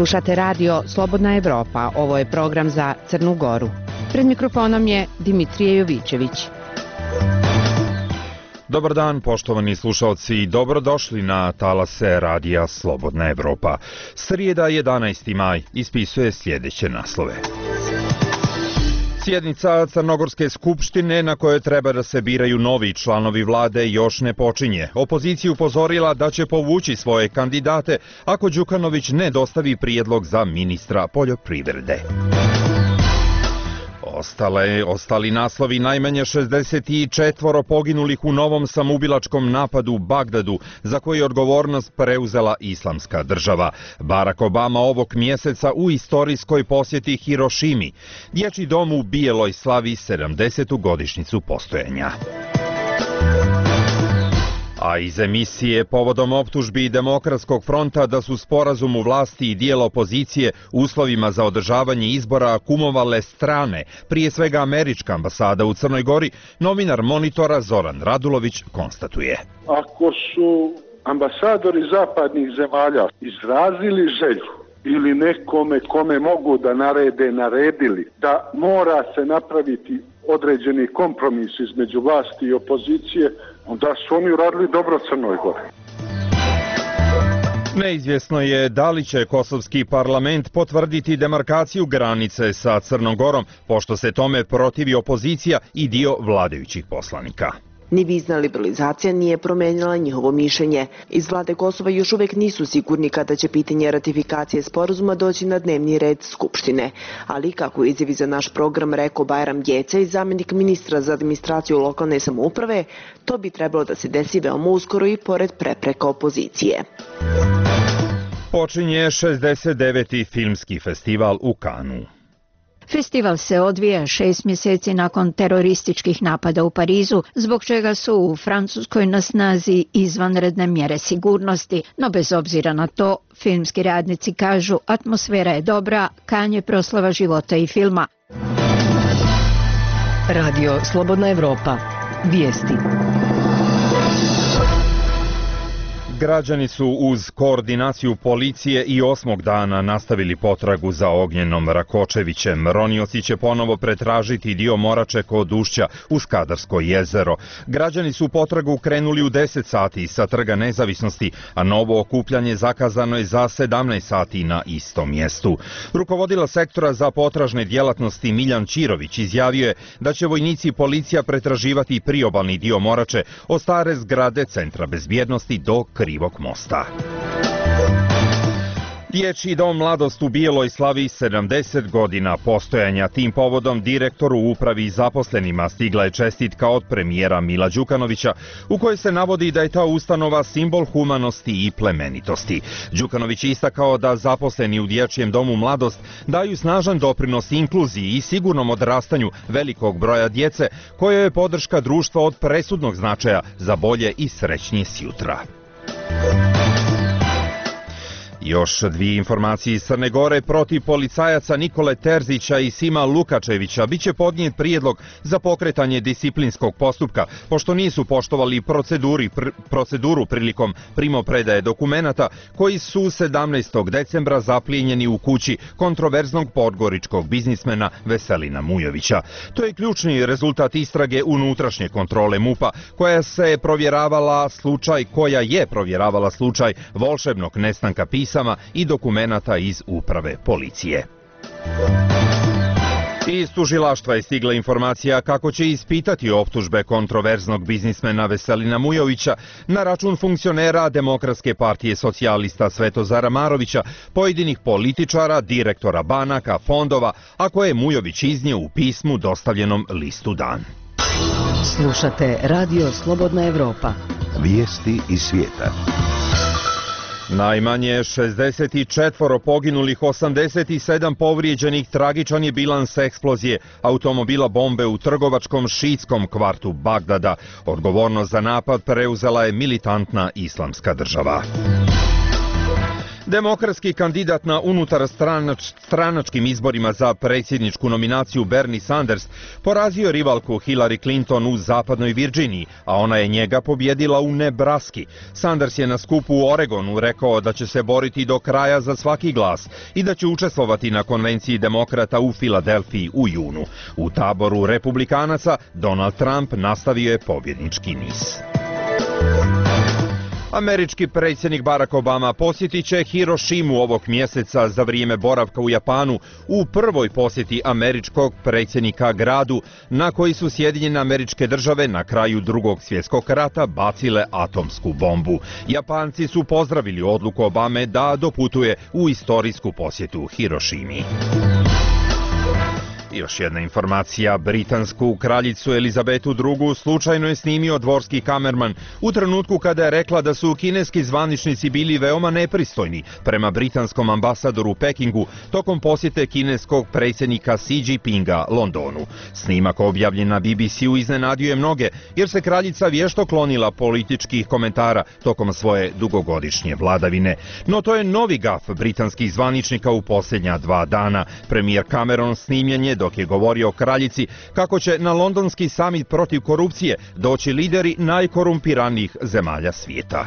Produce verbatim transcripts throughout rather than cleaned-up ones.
Slušate radio Slobodna Evropa, ovo je program za Crnu Goru. Pred mikrofonom je Dimitrije Jovićević. Dobar dan, poštovani slušalci, dobrodošli na talase radija Slobodna Evropa. Srijeda jedanaesti maj ispisuje sljedeće naslove. Sjednica Crnogorske skupštine na kojoj treba da se biraju novi članovi vlade još ne počinje. Opozicija upozorila da će povući svoje kandidate ako Đukanović ne dostavi prijedlog za ministra poljoprivrede. Ostale, ostali naslovi: najmanje šezdeset četiri poginulih u novom samoubilačkom napadu u Bagdadu, za koji je odgovornost preuzela Islamska država. Barack Obama ovog mjeseca u istorijskoj posjeti Hirošimi. Dječji dom u Bijeloj slavi sedamdesetu godišnjicu postojanja. A iz emisije povodom optužbi Demokratskog fronta da su sporazum u vlasti i dijela opozicije uslovima za održavanje izbora kumovale strane, prije svega američka ambasada u Crnoj Gori, novinar Monitora Zoran Radulović konstatuje. Ako su ambasadori zapadnih zemalja izrazili želju ili nekome kome mogu da narede, naredili da mora se napraviti određeni kompromis između vlasti i opozicije, onda su oni uradili dobro Crnoj Gori. Neizvjesno je da li će kosovski parlament potvrditi demarkaciju granice sa Crnom Gorom, pošto se tome protivi opozicija i dio vladajućih poslanika. Ni vizna liberalizacija nije promenila njihovo mišljenje. Iz vlade Kosova još uvijek nisu sigurni kada će pitanje ratifikacije sporazuma doći na dnevni red Skupštine. Ali, kako izjavi za naš program rekao Bajram Gjecej, zamjenik ministra za administraciju lokalne samouprave, to bi trebalo da se desi veoma uskoro i pored prepreka opozicije. Počinje šezdeset deveti filmski festival u Kanu. Festival se odvija šest mjeseci nakon terorističkih napada u Parizu, zbog čega su u Francuskoj na snazi izvanredne mjere sigurnosti, no bez obzira na to, filmski radnici kažu atmosfera je dobra, Kan je proslava života i filma. Radio Slobodna Evropa. Vijesti. Građani su uz koordinaciju policije i osmog dana nastavili potragu za Ognjenom Rakočevićem. Ronioci će ponovo pretražiti dio Morače kod ušća u Skadarsko jezero. Građani su potragu krenuli u deset sati sa Trga Nezavisnosti, a novo okupljanje zakazano je za sedamnaest sati na istom mjestu. Rukovodila sektora za potražne djelatnosti Miljan Čirović izjavio je da će vojnici i policija pretraživati priobalni dio Morače od stare zgrade Centra bezbjednosti do Krivog mosta. Dječji dom Mladost u Bijeloj slavi sedamdeset godina postojanja. Tim povodom direktoru u upravi i zaposlenima stigla je čestitka od premijera Mila Đukanovića, u kojoj se navodi da je ta ustanova simbol humanosti i plemenitosti. Đukanović je istakao da zaposleni u Dječjem domu Mladost daju snažan doprinos inkluziji i sigurnom odrastanju velikog broja djece, koja je podrška društva od presudnog značaja za bolje i srećnije sjutra. Još dvije informacije iz Crne Gore. Protiv policajaca Nikole Terzića i Sima Lukačevića biće podnijet prijedlog za pokretanje disciplinskog postupka, pošto nisu poštovali proceduri, pr, proceduru prilikom primopredaje dokumenata koji su sedamnaestog decembra zaplijenjeni u kući kontroverznog podgoričkog biznismena Veselina Mujovića. To je ključni rezultat istrage unutrašnje kontrole MUP-a, koja se provjeravala slučaj, koja je provjeravala slučaj volšebnog nestanka pisama i dokumenata iz uprave policije. Iz tužilaštva je stigla informacija kako će ispitati optužbe kontroverznog biznismena Veselina Mujovića na račun funkcionera Demokratske partije socijalista Svetozara Marovića, pojedinih političara, direktora banaka, fondova, a koje je Mujović iznio u pismu dostavljenom listu Dan. Slušate Radio Slobodna Evropa. Vijesti iz svijeta. Najmanje šezdeset četiri poginulih, osamdeset sedam povrijeđenih, tragičan je bilans eksplozije automobila bombe u trgovačkom šiitskom kvartu Bagdada. Odgovornost za napad preuzela je militantna Islamska država. Demokratski kandidat na unutar stranač, stranačkim izborima za predsjedničku nominaciju Bernie Sanders porazio rivalku Hillary Clinton u zapadnoj Virginiji, a ona je njega pobjedila u Nebraski. Sanders je na skupu u Oregonu rekao da će se boriti do kraja za svaki glas i da će učestvovati na konvenciji demokrata u Filadelfiji u junu. U taboru republikanaca Donald Trump nastavio je pobjednički niz. Američki predsjednik Barack Obama posjetit će Hirošimu ovog mjeseca za vrijeme boravka u Japanu u prvoj posjeti američkog predsjednika gradu na koji su Sjedinjene Američke Države na kraju Drugog svjetskog rata bacile atomsku bombu. Japanci su pozdravili odluku Obame da doputuje u istorijsku posjetu Hirošimi. Još jedna informacija, britansku kraljicu Elizabetu drugu slučajno je snimio dvorski kamerman u trenutku kada je rekla da su kineski zvaničnici bili veoma nepristojni prema britanskom ambasadoru u Pekingu tokom posjete kineskog predsjednika Xi Jinpinga Londonu. Snimak objavljen na B B C-u iznenadio je mnoge jer se kraljica vješto klonila političkih komentara tokom svoje dugogodišnje vladavine. No to je novi gaf britanskih zvaničnika u posljednja dva dana. Premijer Cameron snimljen je dok je govorio o kraljici kako će na londonski samit protiv korupcije doći lideri najkorumpiranijih zemalja svijeta.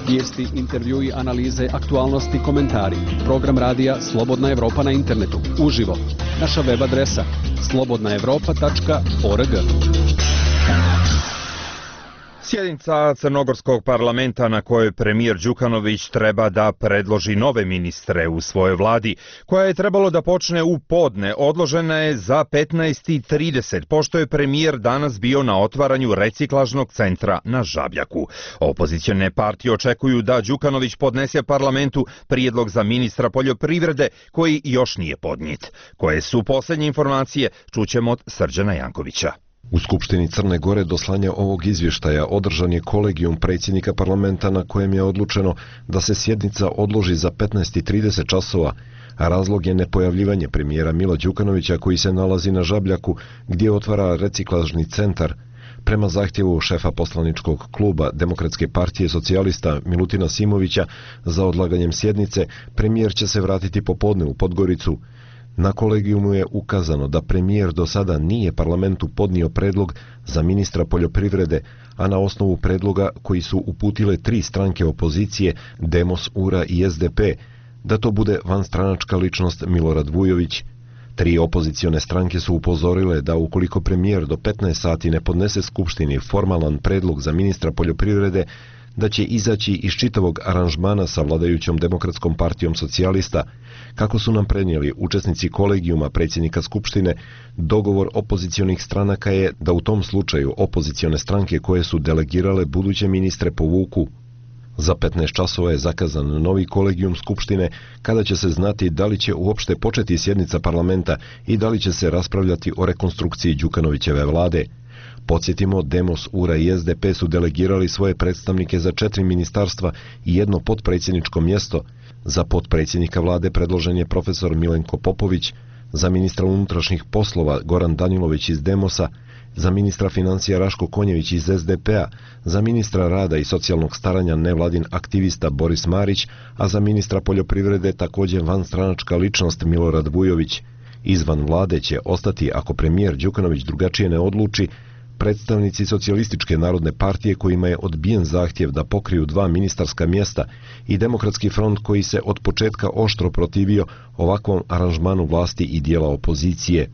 Vijesti, intervjui, analize, aktualnosti, komentari. Program radija Slobodna Evropa na internetu. Uživo. Naša web adresa slobodna evropa tačka org. Sjednica Crnogorskog parlamenta na kojoj premijer Đukanović treba da predloži nove ministre u svojoj vladi, koja je trebalo da počne u podne, odložena je za petnaest i trideset, pošto je premijer danas bio na otvaranju reciklažnog centra na Žabljaku. Opozicione partije očekuju da Đukanović podnese parlamentu prijedlog za ministra poljoprivrede, koji još nije podnijet. Koje su posljednje informacije, čućemo od Srđana Jankovića. U Skupštini Crne Gore do slanja ovog izvještaja održan je kolegijum predsjednika parlamenta na kojem je odlučeno da se sjednica odloži za petnaest i trideset časova, a razlog je nepojavljivanje premijera Mila Đukanovića koji se nalazi na Žabljaku gdje otvara reciklažni centar. Prema zahtjevu šefa poslaničkog kluba Demokratske partije socijalista Milutina Simovića za odlaganjem sjednice, premijer će se vratiti popodne u Podgoricu. Na kolegijumu je ukazano da premijer do sada nije parlamentu podnio predlog za ministra poljoprivrede, a na osnovu predloga koji su uputile tri stranke opozicije, Demos, U R A i S D P, da to bude vanstranačka ličnost Milorad Vujović. Tri opozicione stranke su upozorile da ukoliko premijer do petnaest sati ne podnese Skupštini formalan predlog za ministra poljoprivrede, da će izaći iz čitavog aranžmana sa vladajućom Demokratskom partijom socijalista. Kako su nam prenijeli učesnici kolegijuma predsjednika Skupštine, dogovor opozicionih stranaka je da u tom slučaju opozicione stranke koje su delegirale buduće ministre povuku. Za petnaest časova je zakazan novi kolegijum Skupštine kada će se znati da li će uopšte početi sjednica parlamenta i da li će se raspravljati o rekonstrukciji Đukanovićeve vlade. Podsjetimo, Demos, U R A i S D P su delegirali svoje predstavnike za četiri ministarstva i jedno potpredsjedničko mjesto. Za potpredsjednika vlade predložen je profesor Milenko Popović, za ministra unutrašnjih poslova Goran Danilović iz Demosa, za ministra financija Raško Konjević iz S D P-a, za ministra rada i socijalnog staranja nevladin aktivista Boris Marić, a za ministra poljoprivrede također vanstranačka ličnost Milorad Vujović. Izvan vlade će ostati, ako premijer Đukanović drugačije ne odluči, predstavnici Socijalističke narodne partije kojima je odbijen zahtjev da pokriju dva ministarska mjesta i Demokratski front koji se od početka oštro protivio ovakvom aranžmanu vlasti i dijela opozicije.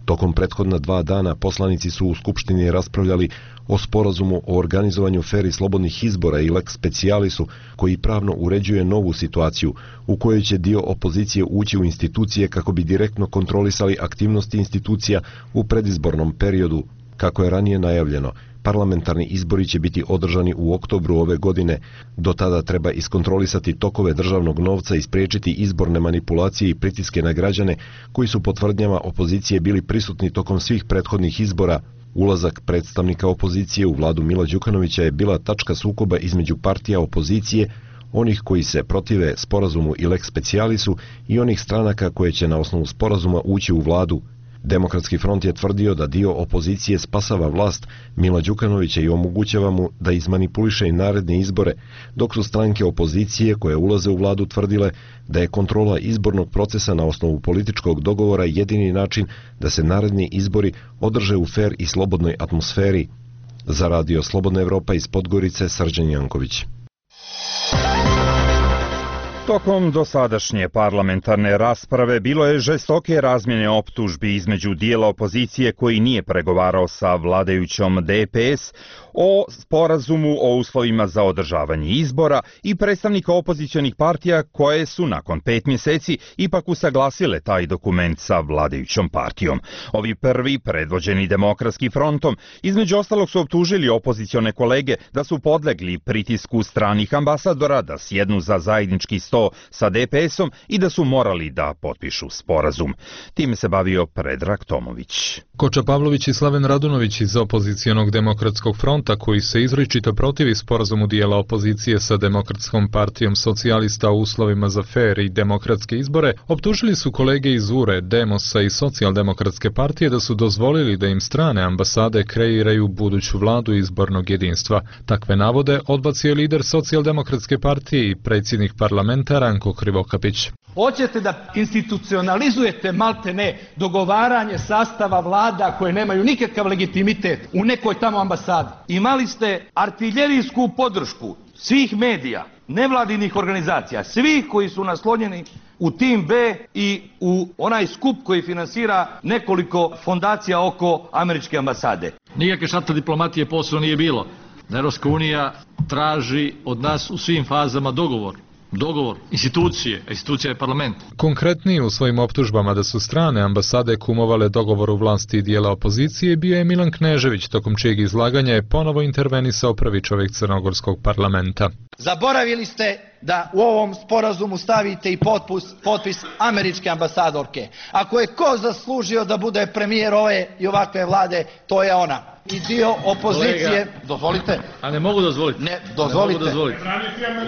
Tokom prethodna dva dana poslanici su u Skupštini raspravljali o sporazumu o organizovanju fer i slobodnih izbora i lex specialisu koji pravno uređuje novu situaciju u kojoj će dio opozicije ući u institucije kako bi direktno kontrolisali aktivnosti institucija u predizbornom periodu. Kako je ranije najavljeno, parlamentarni izbori će biti održani u oktobru ove godine. Do tada treba iskontrolisati tokove državnog novca i spriječiti izborne manipulacije i pritiske na građane koji su po tvrdnjama opozicije bili prisutni tokom svih prethodnih izbora. Ulazak predstavnika opozicije u vladu Mila Đukanovića je bila tačka sukoba između partija opozicije, onih koji se protive sporazumu i lex specialisu i onih stranaka koje će na osnovu sporazuma ući u vladu. Demokratski front je tvrdio da dio opozicije spasava vlast Mila Đukanovića i omogućava mu da izmanipuliše i naredne izbore, dok su stranke opozicije koje ulaze u vladu tvrdile da je kontrola izbornog procesa na osnovu političkog dogovora jedini način da se naredni izbori održe u fer i slobodnoj atmosferi. Za radio Slobodna Evropa iz Podgorice, Srđan Janković. Tokom dosadašnje parlamentarne rasprave bilo je žestoke razmjene optužbi između dijela opozicije koji nije pregovarao sa vladajućom D P S o sporazumu o uslovima za održavanje izbora i predstavnika opozicionih partija koje su nakon pet mjeseci ipak usaglasile taj dokument sa vladajućom partijom. Ovi prvi, predvođeni Demokratskim frontom, između ostalog su optužili opozicione kolege da su podlegli pritisku stranih ambasadora da sjednu za zajednički sto sa D P S-om i da su morali da potpišu sporazum. Time se bavio Predrag Tomović. Koča Pavlović i Slaven Radunović iz opozicionog Demokratskog fronta, koji se izričito protivi sporazumu dijela opozicije sa Demokratskom partijom socijalista o uslovima za fer i demokratske izbore, optužili su kolege iz U R E, Demosa i Socijaldemokratske partije da su dozvolili da im strane ambasade kreiraju buduću vladu izbornog jedinstva. Takve navode odbacio je lider Socijaldemokratske partije i predsjednik parlamenta Ranko Krivokapić. Hoćete da institucionalizujete maltene dogovaranje sastava vlada koje nemaju nikakav legitimitet u nekoj tamo ambasadi. Imali ste artiljerijsku podršku svih medija, nevladinih organizacija, svih koji su naslonjeni u tim B i u onaj skup koji finansira nekoliko fondacija oko američke ambasade. Nikakve šata diplomatije posao nije bilo. Europska unija traži od nas u svim fazama dogovor. Dogovor institucije, institucija je parlament. Konkretniji u svojim optužbama da su strane ambasade kumovale dogovoru vlasti i dijela opozicije bio je Milan Knežević, tokom čijeg izlaganja je ponovo intervenisao prvi čovjek crnogorskog parlamenta. Zaboravili ste da u ovom sporazumu stavite i potpis, potpis američke ambasadorke. Ako je ko zaslužio da bude premijer ove i ovakve vlade, to je ona. I dio opozicije, kolega, dozvolite. A ne mogu dozvoliti. Ne, dozvolite. Ne mogu dozvoliti.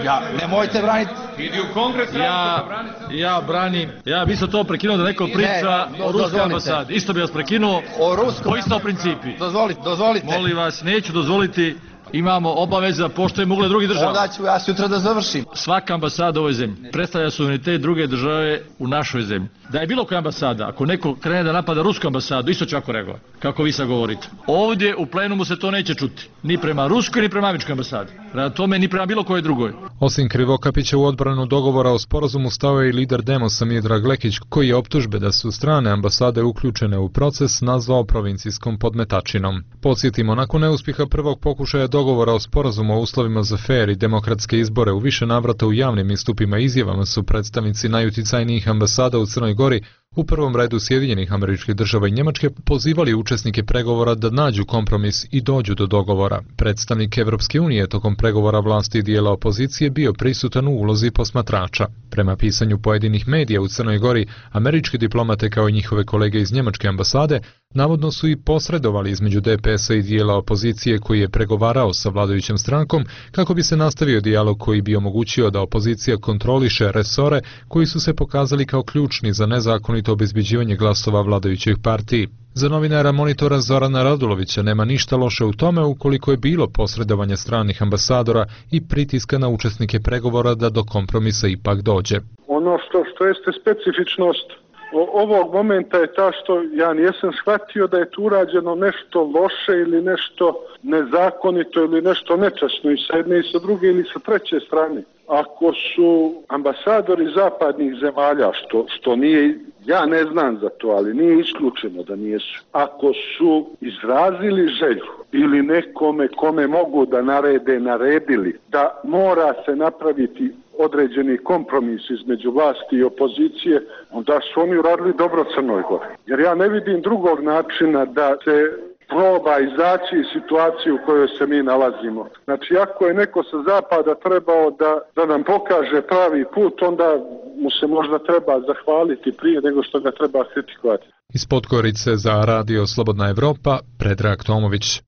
Ja, nemojte braniti. Idi u kongres. Ja, ja branim, ja bi isto to prekinuo da neko priča ne, o ruskoj ambasadi. Isto bi vas prekinuo. O ruskom. Po isto principi. Dozvolite, dozvolite. Molim vas, neću dozvoliti. Imamo obaveze da poštujemo ugled drugih država. Onda ću ja sutra da završim. Svaka ambasada u ovoj zemlji predstavlja suverenitet druge države u našoj zemlji. Da je bilo koja ambasada, ako neko krene da napada rusku ambasadu, isto će ako reagovati, kako vi sad govorite. Ovdje u plenumu se to neće čuti. Ni prema ruskoj, ni prema američkoj ambasadi. Prema tome, ni prema bilo kojoj drugoj. Osim Krivokapića, u odbranu dogovora o sporazumu stao je i lider Demosa Miodrag Lekić, koji je optužbe da su strane ambasade uključene u proces nazvao provincijskom podmetačinom. Podsjetimo, nakon neuspjeha prvog pokušaja dogovora o sporazumu o uslovima za fer i demokratske izbore u više navrata u javnim istupima i izjavama su predstavnici najuticajnijih ambasada u Crnoj Gori, u prvom redu Sjedinjenih Američkih Država i Njemačke, pozivali učesnike pregovora da nađu kompromis i dođu do dogovora. Predstavnik Evropske unije tokom pregovora vlasti i dijela opozicije bio prisutan u ulozi posmatrača. Prema pisanju pojedinih medija u Crnoj Gori, američki diplomate kao i njihove kolege iz Njemačke ambasade navodno su i posredovali između D P S-a i dijela opozicije koji je pregovarao sa vladajućom strankom kako bi se nastavio dijalog koji bi omogućio da opozicija kontroliše resore koji su se pokazali kao ključni za nezakonito obezbeđivanje glasova vladajućih partiji. Za novinara Monitora Zorana Radulovića nema ništa loše u tome ukoliko je bilo posredovanje stranih ambasadora i pritiska na učesnike pregovora da do kompromisa ipak dođe. Ono što, što jeste specifičnost ovog momenta je ta što ja nisam shvatio da je tu urađeno nešto loše ili nešto nezakonito ili nešto nečasno i sa jedne i sa druge ili sa treće strane. Ako su ambasadori zapadnih zemalja, što, što nije, ja ne znam za to, ali nije isključeno da nisu. Ako su izrazili želju ili nekome kome mogu da narede, naredili, da mora se napraviti određeni kompromis između vlasti i opozicije, onda su oni uradili dobro Crnoj Gori. Jer ja ne vidim drugog načina da se proba izaći iz situacije u kojoj se mi nalazimo. Znači, ako je neko sa zapada trebao da, da nam pokaže pravi put, onda mu se možda treba zahvaliti prije nego što ga treba kritikovati. Iz Podgorice za radio Slobodna Evropa, Predrag Tomović.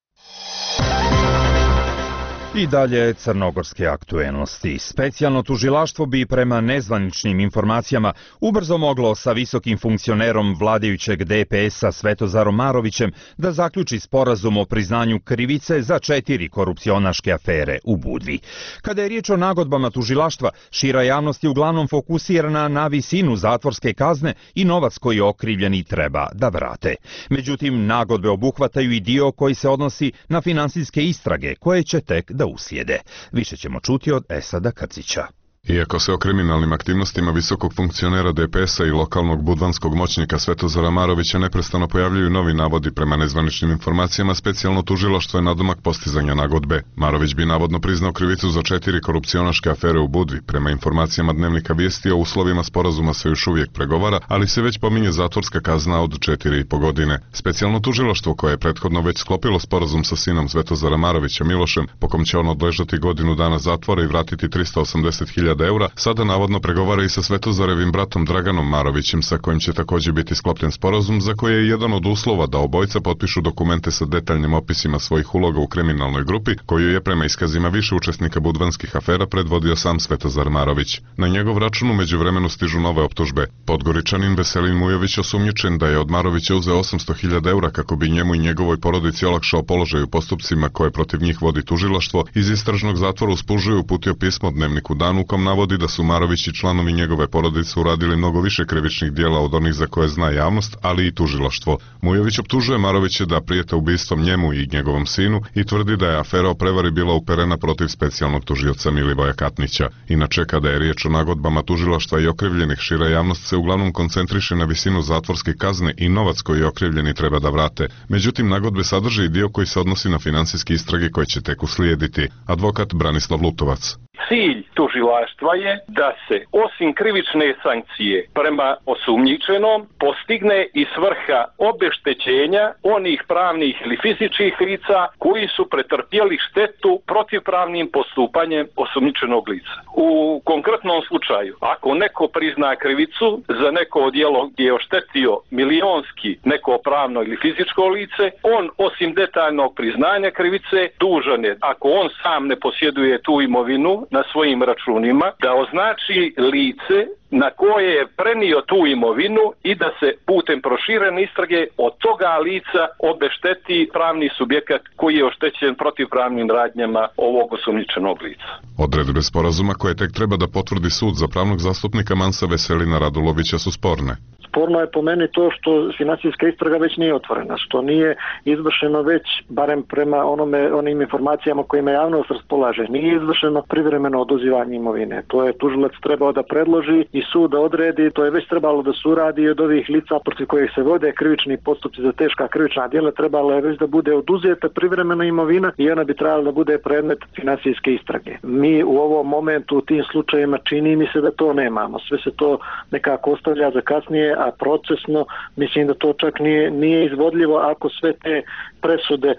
I dalje crnogorske aktuelnosti. Specijalno tužilaštvo bi prema nezvaničnim informacijama ubrzo moglo sa visokim funkcionerom vladajućeg D P S-a Svetozarom Marovićem da zaključi sporazum o priznanju krivice za četiri korupcionaške afere u Budvi. Kada je riječ o nagodbama tužilaštva, šira javnost je uglavnom fokusirana na visinu zatvorske kazne i novac koji okrivljeni treba da vrate. Međutim, nagodbe obuhvataju i dio koji se odnosi na finansijske istrage koje će tek da uslijede. Više ćemo čuti od Esada Krcića. Iako se o kriminalnim aktivnostima visokog funkcionera D P S-a i lokalnog budvanskog moćnika Svetozara Marovića neprestano pojavljuju novi navodi prema nezvaničnim informacijama, specijalno tužilaštvo je nadomak postizanja nagodbe. Marović bi navodno priznao krivicu za četiri korupcionaške afere u Budvi. Prema informacijama Dnevnika Vijesti, o uslovima sporazuma se još uvijek pregovara, ali se već pominje zatvorska kazna od četiri i po godine. Specijalno tužilaštvo, koje je prethodno već sklopilo sporazum sa sinom Svetozara Marovića Milošem, po kom će on odležati godinu dana zatvora i vratiti trista osamdeset hiljada eura, sada navodno pregovara i sa Svetozarevim bratom Draganom Marovićem, sa kojim će također biti sklopljen sporazum, za koje je jedan od uslova da obojca potpišu dokumente sa detaljnim opisima svojih uloga u kriminalnoj grupi, koju je prema iskazima više učesnika budvanskih afera predvodio sam Svetozar Marović. Na njegov račun u međuvremenu stižu nove optužbe. Podgoričanin Veselin Mujović osumnjičen da je od Marovića uzeo osamsto hiljada eura kako bi njemu i njegovoj porodici olakšao položaj u postupcima koje protiv njih vodi tužilaštvo, iz istražnog zatvora uspužuje uputio pismo Dnevniku Dan u kom navodi da su Marović i članovi njegove porodice uradili mnogo više krivičnih dijela od onih za koje zna javnost, ali i tužilaštvo. Mujović optužuje Marovića da prijete ubistvom njemu i njegovom sinu i tvrdi da je afera o prevari bila uperena protiv specijalnog tužioca Milivoja Katnića. Inače, kada je riječ o nagodbama tužilaštva i okrivljenih, šira javnost se uglavnom koncentriše na visinu zatvorske kazne i novac koji okrivljeni treba da vrate. Međutim, nagodbe sadrže i dio koji se odnosi na financijske istrage koje će tek uslijediti. Advokat Branislav Lutovac. Cilj tužilaštva je da se osim krivične sankcije prema osumnjičenom postigne i svrha obeštećenja onih pravnih ili fizičkih lica koji su pretrpjeli štetu protivpravnim postupanjem osumnjičenog lica. U konkretnom slučaju, ako neko prizna krivicu za neko djelo gdje je oštetio milionski neko pravno ili fizičko lice, on osim detaljnog priznanja krivice dužan je, ako on sam ne posjeduje tu imovinu na svojim računima, da označi lice na koje je prenio tu imovinu i da se putem proširene istrage od toga lica obešteti pravni subjekat koji je oštećen protivpravnim radnjama ovog osumnjičenog lica. Odredbe sporazuma koje tek treba da potvrdi sud za pravnog zastupnika Mansa Veselina Radulovića su sporne. Sporno je po meni to što financijska istraga već nije otvorena, što nije izvršeno već, barem prema onome, onim informacijama kojima javnost raspolaže, nije izvršeno privremeno oduzimanje imovine. To je tužilac trebao da predloži i sud da odredi, to je već trebalo da se uradi od ovih lica protiv kojih se vode krivični postupci za teška krivična djela, trebalo je već da bude oduzeta privremena imovina i ona bi trebala da bude predmet financijske istrage. Mi u ovom momentu u tim slučajevima čini mi se da to nemamo. Sve se to nekako ostavlja za kasnije, a procesno mislim da to čak nije, nije izvodljivo ako sve te presude e,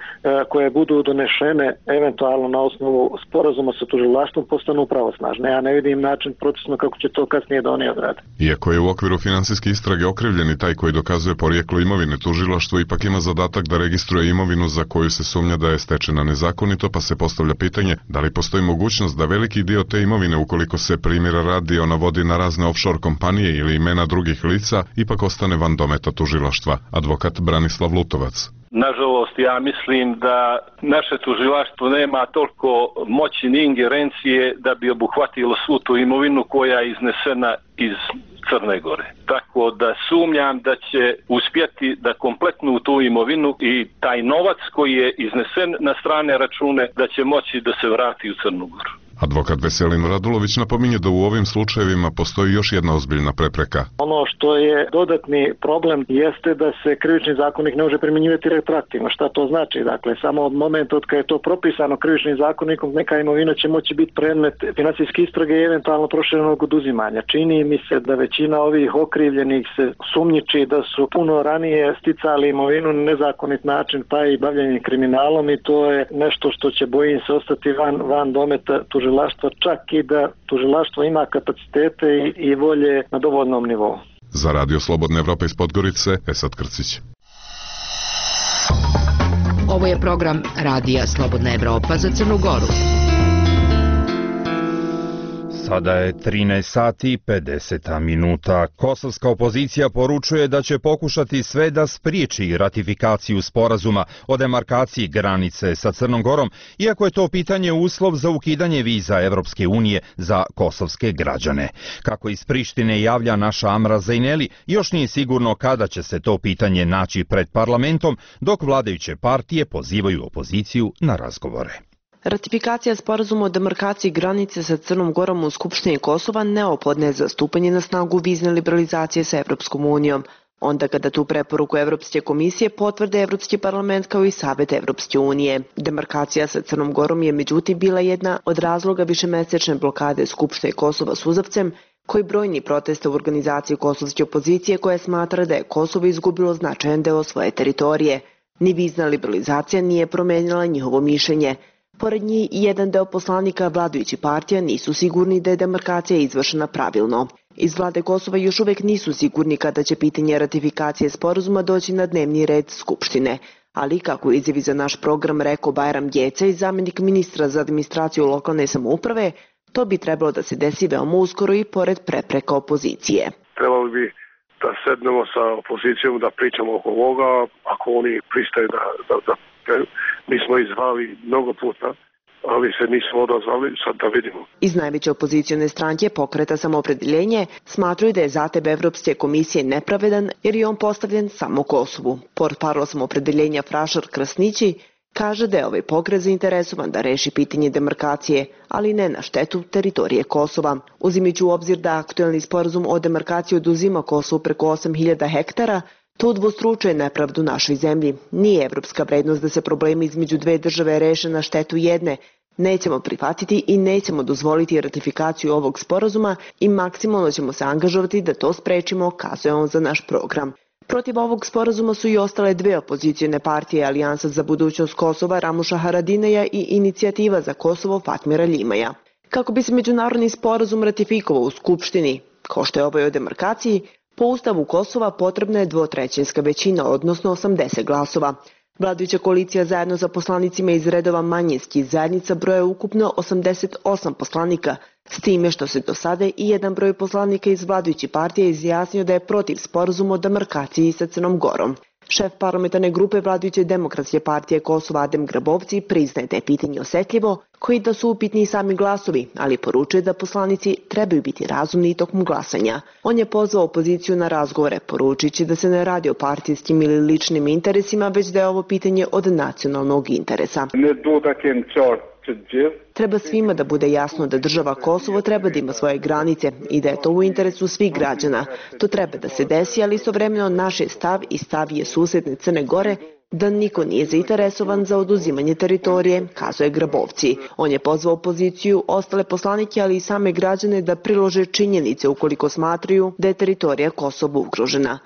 koje budu donešene eventualno na osnovu sporazuma sa tužilaštvom postanu pravosnažne. Ja ne vidim način procesno kako će to kasnije da oni odrade. Iako je u okviru finansijske istrage okrivljeni taj koji dokazuje porijeklo imovine, tužilaštvo ipak ima zadatak da registruje imovinu za koju se sumnja da je stečena nezakonito, pa se postavlja pitanje da li postoji mogućnost da veliki dio te imovine, ukoliko se primjera radi ona vodi na razne offshore kompanije ili imena drugih lica, ipak ostane van dometa tužilaštva. Advokat Branislav Lutovac. Nažalost, ja mislim da naše tužilaštvo nema toliko moći ni ingerencije da bi obuhvatilo svu tu imovinu koja je iznesena iz Crne Gore. Tako da sumnjam da će uspjeti da kompletnu tu imovinu i taj novac koji je iznesen na strane račune da će moći da se vrati u Crnu Goru. Advokat Veselin Radulović napominje da u ovim slučajevima postoji još jedna ozbiljna prepreka. Ono što je dodatni problem jeste da se krivični zakonik ne može primjenjivati retroaktivno. Šta to znači? Dakle, samo od momenta od kada je to propisano krivičnim zakonikom, neka imovina će moći biti predmet financijske istrage i eventualno proširenog oduzimanja. Čini mi se da većina ovih okrivljenih se sumnjiči da su puno ranije sticali imovinu na nezakonit način, pa i bavljenje kriminalom, i to je nešto što će, bojim se, ostati van, van dometa tužilaštva, čak i da tužilaštvo ima kapacitete i, i volje na dovoljnom nivou. Za Radio Slobodne Evrope iz Podgorice, Esad Krcić. Ovo je program Radija Slobodna Evropa za Crnu Goru. Sada je trinaest sati i pedeset minuta. Kosovska opozicija poručuje da će pokušati sve da spriječi ratifikaciju sporazuma o demarkaciji granice sa Crnom Gorom, iako je to pitanje uslov za ukidanje viza Evropske unije za kosovske građane. Kako iz Prištine javlja naša Amra Zejneli, još nije sigurno kada će se to pitanje naći pred parlamentom, dok vladajuće partije pozivaju opoziciju na razgovore. Ratifikacija sporazuma o demarkaciji granice sa Crnom Gorom u Skupštini Kosova neophodna je za stupanje na snagu vizne liberalizacije sa Evropskom unijom, onda kada tu preporuku Evropske komisije potvrde Evropski parlament kao i Savet Evropske unije. Demarkacija sa Crnom Gorom je međutim bila jedna od razloga višemesečne blokade Skupštine Kosova suzavcem, koji brojni protesta u organizaciji kosovske opozicije koja smatra da je Kosovo izgubilo značajan deo svoje teritorije. Ni vizna liberalizacija nije promenila njihovo mišljenje. Pored njih, jedan deo poslanika vladajući partija nisu sigurni da je demarkacija izvršena pravilno. Iz vlade Kosova još uvek nisu sigurni kada će pitanje ratifikacije sporazuma doći na dnevni red Skupštine. Ali, kako izjavi za naš program rekao Bajram Gecaj, zamjenik ministra za administraciju lokalne samouprave, to bi trebalo da se desi veoma uskoro i pored prepreka opozicije. Trebalo bi da sednemo sa opozicijom, da pričamo oko ovoga, ako oni pristaju da... da, da mi smo izvali mnogo puta, ali se nismo odazvali, sad da vidimo. Iz najveće opozicione stranke Pokreta Samoopredeljenje smatraju da je zahtev Evropske komisije nepravedan jer je on postavljen samo Kosovu. Portparol Samoopredeljenja Frašar Krasnići kaže da je ovaj pokret zainteresovan da reši pitanje demarkacije, ali ne na štetu teritorije Kosova. Uzimajući u obzir da aktuelni sporazum o demarkaciji oduzima Kosovu preko osam hiljada hektara, to udvostručuje nepravdu našoj zemlji. Nije evropska vrednost da se problemi između dve države reše na štetu jedne. Nećemo prihvatiti i nećemo dozvoliti ratifikaciju ovog sporazuma i maksimalno ćemo se angažovati da to sprečimo, kazuje on za naš program. Protiv ovog sporazuma su i ostale dve opozicijne partije, Alijansa za budućnost Kosova Ramuša Haradineja i Inicijativa za Kosovo Fatmira Ljimaja. Kako bi se međunarodni sporazum ratifikovao u Skupštini, kao što je ovaj o demarkaciji, po Ustavu Kosova potrebna je dvotrećinska većina, odnosno osamdeset glasova. Vladajuća koalicija zajedno sa poslanicima iz redova manjinskih zajednica broje ukupno osamdeset osam poslanika, s time što se do sada i jedan broj poslanika iz vladajućih partija izjasnio da je protiv sporazuma o demarkaciji sa Crnom Gorom. Šef parlamentarne grupe vladajuće Demokratske partije Kosova Adem Grabovci priznaje da je pitanje osetljivo, koji da su upitni sami glasovi, ali poručuje da poslanici trebaju biti razumni tokom glasanja. On je pozvao opoziciju na razgovore, poručujući da se ne radi o partijskim ili ličnim interesima, već da je ovo pitanje od nacionalnog interesa. Treba svima da bude jasno da država Kosovo treba da ima svoje granice i da je to u interesu svih građana. To treba da se desi, ali istovremeno naš je stav i stav je susedne Crne Gore da niko nije zainteresovan za oduzimanje teritorije, kazuje Grabovci. On je pozvao opoziciju, ostale poslanike, ali i same građane da prilože činjenice ukoliko smatraju da je teritorija Kosova ugrožena.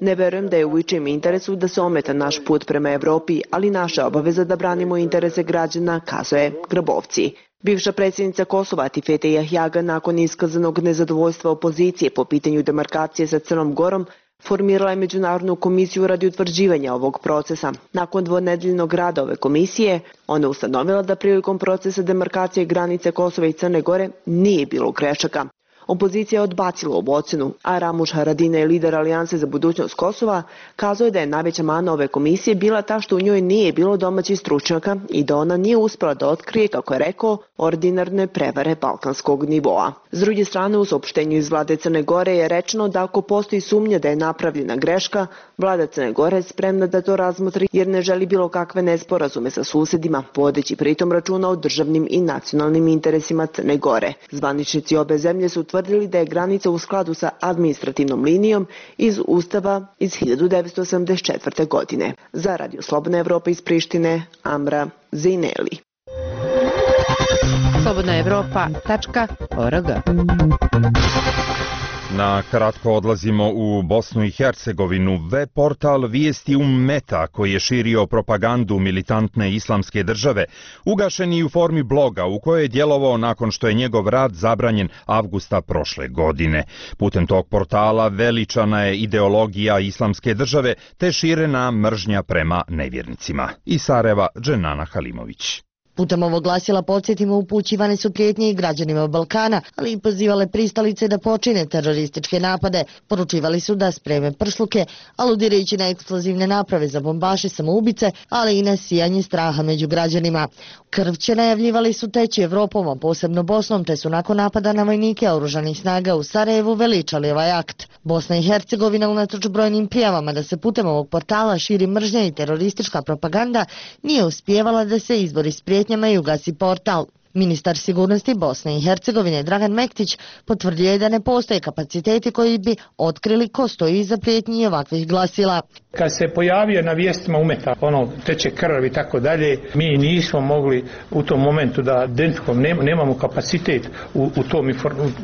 Ne verujem da je u ičijem interesu da se ometa naš put prema Evropi, ali naša obaveza da branimo interese građana, kazuje Grabovci. Bivša predsjednica Kosova Atifete Jahjaga nakon iskazanog nezadovoljstva opozicije po pitanju demarkacije sa Crnom Gorom formirala je međunarodnu komisiju radi utvrđivanja ovog procesa. Nakon dvonedeljnog rada ove komisije, ona je ustanovila da prilikom procesa demarkacije granice Kosova i Crne Gore nije bilo grešaka. Opozicija je odbacila ovu ocenu, a Ramuš Haradinaj, lider Alijanse za budućnost Kosova, kazao je da je najveća mana ove komisije bila ta što u njoj nije bilo domaćih stručnjaka i da ona nije uspela da otkrije, kako je rekao, ordinarne prevare balkanskog nivoa. S druge strane, u saopštenju iz vlade Crne Gore je rečeno da ako postoji sumnja da je napravljena greška, vlada Crne Gore je spremna da to razmotri jer ne želi bilo kakve nesporazume sa susedima, vodeći pritom računa o državnim i nacionalnim interesima Crne Gore. Zvaničnici obe zemlje su utvrdili da je granica u skladu sa administrativnom linijom iz Ustava iz hiljadu devetsto osamdeset četvrte. godine. Za Radio Slobodna Evropa iz Prištine, Amra Zejneli. slobodna evropa tačka org. Na kratko odlazimo u Bosnu i Hercegovinu. Web portal Vijesti Ummeta, koji je širio propagandu militantne islamske države, ugašen je u formi bloga u kojoj je djelovao nakon što je njegov rad zabranjen avgusta prošle godine. Putem tog portala veličana je ideologija islamske države te širena mržnja prema nevjernicima. Iz Sarajeva, Dženana Halimović. Putem ovog glasila, podsjetimo, upućivane su prijetnje i građanima Balkana, ali i pozivale pristalice da počine terorističke napade. Poručivali su da spreme pršluke, aludirajući na eksplozivne naprave za bombaše samoubice, ali i na sijanje straha među građanima. Krvće najavljivali su teći Evropom, a posebno Bosnom, te su nakon napada na vojnike oružanih snaga u Sarajevu veličali ovaj akt. Bosna i Hercegovina, unatoč brojnim prijavama da se putem ovog portala širi mržnja i teroristička propaganda, nije uspijevala da se izbori s prijetnjama i ugasi portal. Ministar sigurnosti Bosne i Hercegovine Dragan Mektić potvrdio je da ne postoje kapaciteti koji bi otkrili ko stoji iza prijetnji ovakvih glasila. Kad se pojavio na vijestima umeta, ono, teče krv i tako dalje, mi nismo mogli u tom momentu da identifikujemo, nema, nemamo kapacitet u, u tom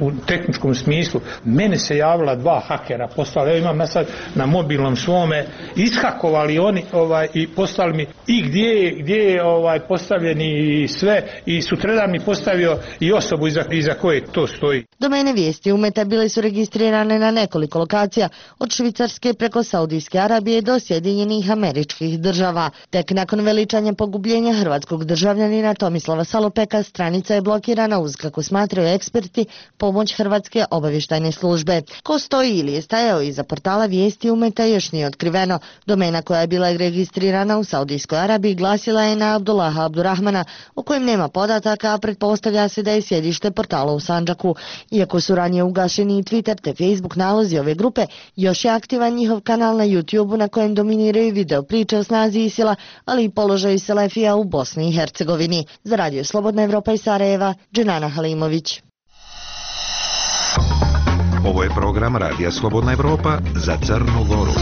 u tehničkom smislu. Mene se javila dva hakera, poslali, evo imam sad na mobilnom svome, ishakovali oni ovaj, i poslali mi i gdje, gdje je ovaj, postavljeni i sve, i sutradan mi postavio i osobu iza, iza koje to stoji. Domene vijesti umeta bile su registrirane na nekoliko lokacija, od Švicarske preko Saudijske Arabije do Sjedinjenih Američkih Država. Tek nakon veličanja pogubljenja hrvatskog državljanina Tomislava Salopeka, stranica je blokirana uz, kako smatraju eksperti, pomoć Hrvatske obavještajne službe. Ko stoji ili je stajao iza portala vijesti umeta još nije otkriveno. Domena koja je bila registrirana u Saudijskoj Arabiji glasila je na Abdullaha Abdurrahmana, o kojem nema podataka, a pretpostavlja se da je sjedište portala u Sandžaku. Iako su ranije ugašeni i Twitter te Facebook nalozi ove grupe, još je aktivan njihov kanal na YouTube na kojem dominiraju video priče o snazi ISIL-a, ali i položaju Selefija u Bosni i Hercegovini. Za Radio Slobodna Evropa iz Sarajeva, Dženana Halimović. Ovo je program Radija Slobodna Evropa za Crnu Goru.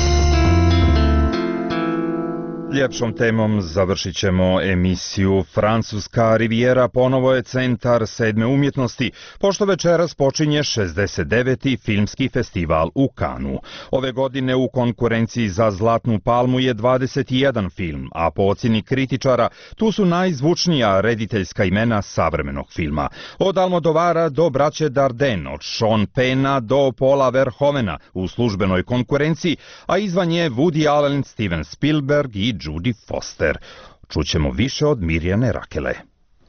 Ljepšom temom završit ćemo emisiju. Francuska rivijera ponovo je centar sedme umjetnosti, pošto večeras počinje šezdeset deveti filmski festival u Kanu. Ove godine u konkurenciji za Zlatnu palmu je dvadeset jedan film, a po ocjeni kritičara tu su najzvučnija rediteljska imena savremenog filma. Od Almodovara do braće Dardenne, od Sean Penna do Paula Verhoevena u službenoj konkurenciji, a izvan je Woody Allen, Steven Spielberg i Judy Foster. Čućemo više od Mirjane Rakele.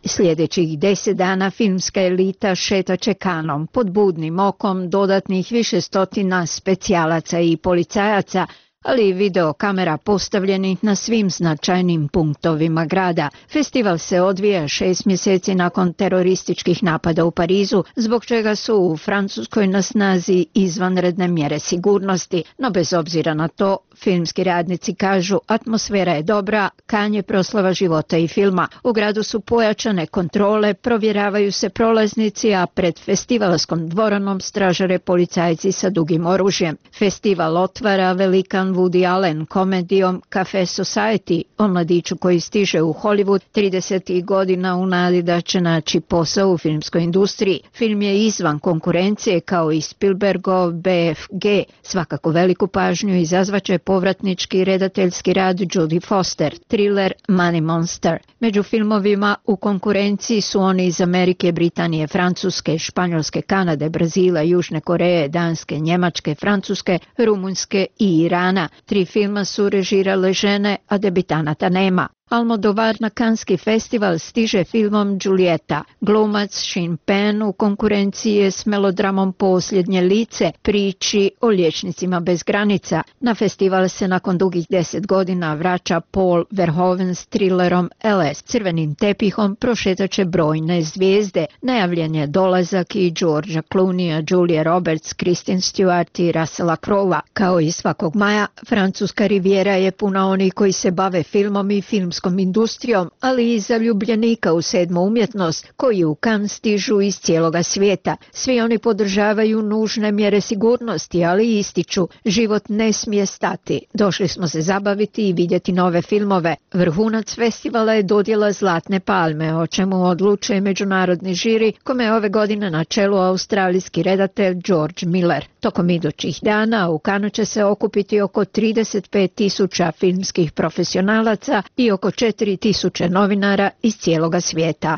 Sljedećih deset dana filmska elita šetaće Kanom pod budnim okom dodatnih više stotina specijalaca i policajaca, ali i video kamera postavljenih na svim značajnim punktovima grada. Festival se odvija šest mjeseci nakon terorističkih napada u Parizu, zbog čega su u Francuskoj na snazi izvanredne mjere sigurnosti, no bez obzira na to, filmski radnici kažu atmosfera je dobra, Kan je proslava života i filma. U gradu su pojačane kontrole, provjeravaju se prolaznici, a pred festivalskom dvoranom stražare policajci sa dugim oružjem. Festival otvara velikan Woody Allen komedijom Cafe Society o mladiću koji stiže u Hollywood tridesetih godina u nadi da će naći posao u filmskoj industriji. Film je izvan konkurencije kao i Spielbergov B F G. Svakako veliku pažnju izazvaće povratnički redateljski rad Judy Foster, thriller Money Monster. Među filmovima u konkurenciji su oni iz Amerike, Britanije, Francuske, Španjolske, Kanade, Brazila, Južne Koreje, Danske, Njemačke, Francuske, Rumunjske i Irana. Tri filma su režirale žene, a debitanata nema. Almodovar na Kanski festival stiže filmom Giulietta. Glumac Sean Penn u konkurenciji je s melodramom Posljednje lice, priči o liječnicima bez granica. Na festival se nakon dugih deset godina vraća Paul Verhoeven s thrillerom L S. Crvenim tepihom prošetaće brojne zvijezde. Najavljen je dolazak i Georgea Clooneyja, Julie Roberts, Kristen Stewart i Russella Crowe. Kao i svakog maja, Francuska rivijera je puna onih koji se bave filmom i filmskom industrijom, ali i zaljubljenika u sedmu umjetnost, koji u Kan stižu iz cijeloga svijeta. Svi oni podržavaju nužne mjere sigurnosti, ali ističu, život ne smije stati. Došli smo se zabaviti i vidjeti nove filmove. Vrhunac festivala je dodjela Zlatne palme, o čemu odlučuje međunarodni žiri, kome je ove godine na čelu australijski redatelj George Miller. Tokom idućih dana u Kanu će se okupiti oko trideset pet tisuća filmskih profesionalaca i oko četiri tisuće novinara iz cijeloga svijeta.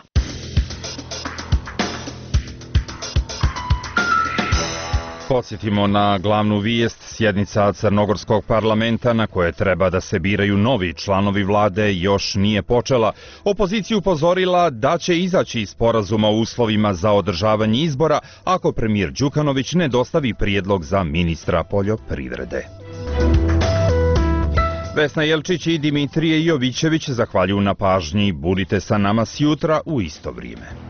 Podsjetimo na glavnu vijest. Sjednica Crnogorskog parlamenta na koje treba da se biraju novi članovi vlade još nije počela. Opozicija upozorila da će izaći iz sporazuma o uslovima za održavanje izbora ako premijer Đukanović ne dostavi prijedlog za ministra poljoprivrede. Vesna Jelčić i Dimitrije Jovićević zahvaljuju na pažnji. Budite sa nama sjutra u isto vrijeme.